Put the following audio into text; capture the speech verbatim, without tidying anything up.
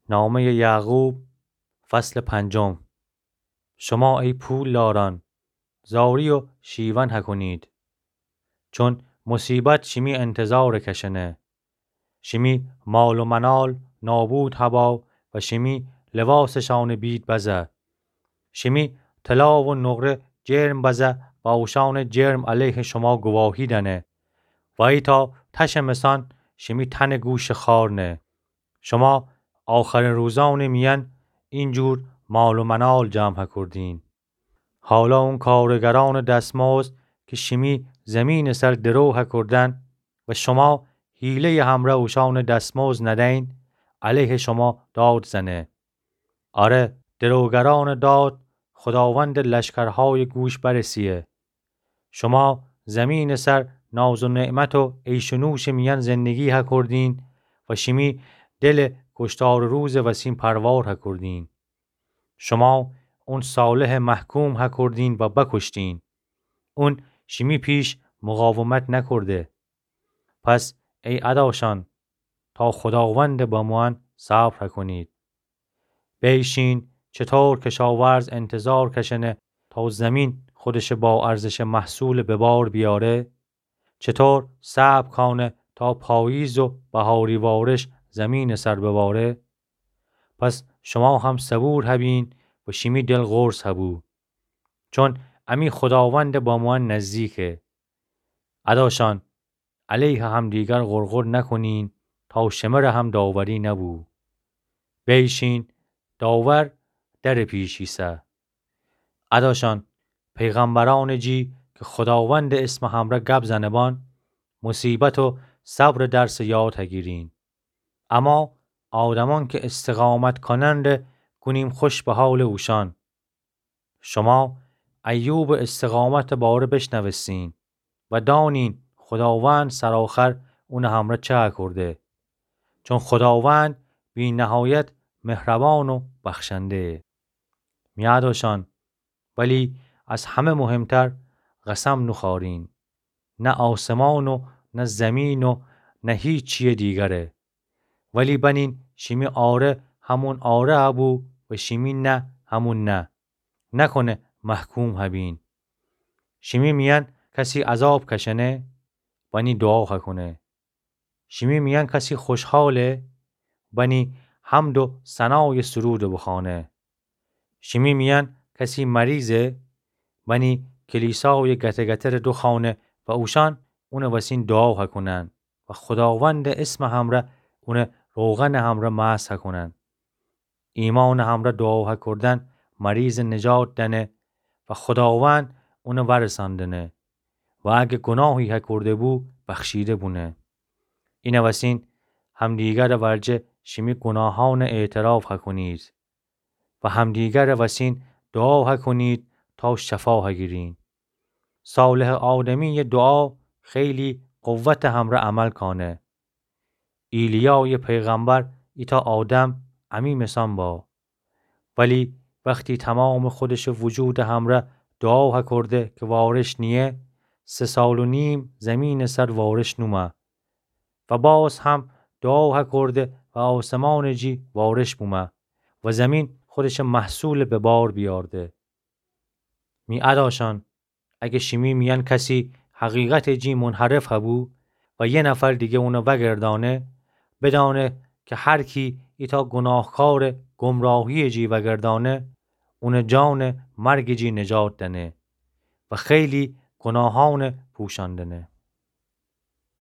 نامهٔ یعقوب، فصل پنجم. شما ای پولداران، زاری و شیون هکونید، چون مصیبت شیمی انتظارَ کشنه. شیمی مال و منال نابود هبا و شیمی لباسٚ شانه بید بزه. شیمی طلا و نقره جرم بزه و اوشانٚ جرم علیه شما گواهی دنه و ایتا تشٚ مثان شیمی تنٚ گوشٚ خار نه. شما آخرین روزانٚ میأن اینجور مال و منال جمع هکردین. حالا اون کارگرانٚ دستمزد که شیمی زمینٚ سر درو هکردن و شما حیله‌یٚ همرأ اوشانٚ دستمزد ندین، علیه شما داد زنه. آره، دروگرانٚ داد خوداوندٚ لشکرهایٚ گوش برسیه. شما زمینٚ سر ناز و نعمت و عیش و نوشٚ میأن زندگی هکردین و شیمی دلٚ کشتارٚ روزٚ وسین پروار هکردین. شما اون صالحٚ محکوم هکردین و بکشتین. اون شیمی پیش مقاومت نکرده. پس ای اداشان، تا خوداوندٚ بموأن صبر هکونید. بیشین چطور کشاورز انتظار کشنه تا زمین خودشٚ با ارزشٚ محصولٚ به بار بیاره، چطور صبر کانه تا پاییز و بهاری وارش زمینٚ سر بباره، پس شما هم صبور هبین و شیمی دل قرص هبو، چون امی خوداوندٚ بموأن نزدیکه. اداشان، علیه همدیگر غرغر نکنین تا شمره هم داوری نبو. بیشین، داور درٚ پیش ایسه. اداشان، پیغمبرانٚ جی که خوداوندٚ اسمٚ همرأ گب زنه‌بان، مصیبت و صبرٚ درسٚ یاد هگیرین. اما آدمان که استقامت کنن ره گونیم خوش به حالٚ اوشان. شما ایوبٚ استقامتٚ باره بشنوستین و دانین خوداوند سرآخر اونٚ همرأ چه کرده. چون خوداوند بی‌نهایت مهربان و بخشنده‌یه. می اداشان، ولی از همه مهمتر قسم نوخوأرین. نه آسمان و نه زمین و نه هیچ چیٚیٚ دیگره. ولی بنین شیمی آره همون آره هبو و شیمی نه همون نه. نکنه محکوم هبین. شیمی میأن کسی عذاب کشنه، بنی دعا هکونه. شیمی میأن کسی خوشحاله، بنی حمد و ثنایٚ سرودٚ بخوانه. شیمی میأن کسی مریضه، بنی کلیسایٚ گته‌گترٚ دوخوانه و اوشأن اونٚ وسین دعا هکونن و خوداوندٚ اسمٚ همرأ اونٚ روغنٚ همرأ مسح هکونن. ایمانٚ همرأ دعا هکردن مریضٚ نجات دنه و خوداوند اونٚ ورسأندنه و اگه گوناهی هکرده بو، بخشیده بونه. اینٚ وسین همدیگرٚ ورجه شیمی گوناهأنٚ اعتراف هکونید و همدیگرٚ وسین دعا هکونید تا شفا هگیرین. صالحٚ آدمیٚ دعا خیلی قوتٚ همرأ عمل کانه. ایلیایٚ پیغمبر ایتأ آدم امی مثأن با. ولی وختی تمامٚ خودشٚ وجودٚ همرأ دعا هکرده که وارش نییه، سه سال و نیم زیمینٚ سر وارش نومه. و باز هم دعا هکرده و آسمانٚ جی وارش بومه و زیمین خودشٚ محصولٚ به بار بیارده. می اداشأن، اگه شیمی میأن کسی حقیقتٚ جی منحرف هبو و یه نفر دیگه اونٚ وگردانه، بدأنه که هر کی ایتأ گوناهکارٚ گمراهیٚ جی وگردانه، اونٚ جانٚ مرگٚ جی نجات دأنه و خیلی گوناهأنٚ پوشأندنه.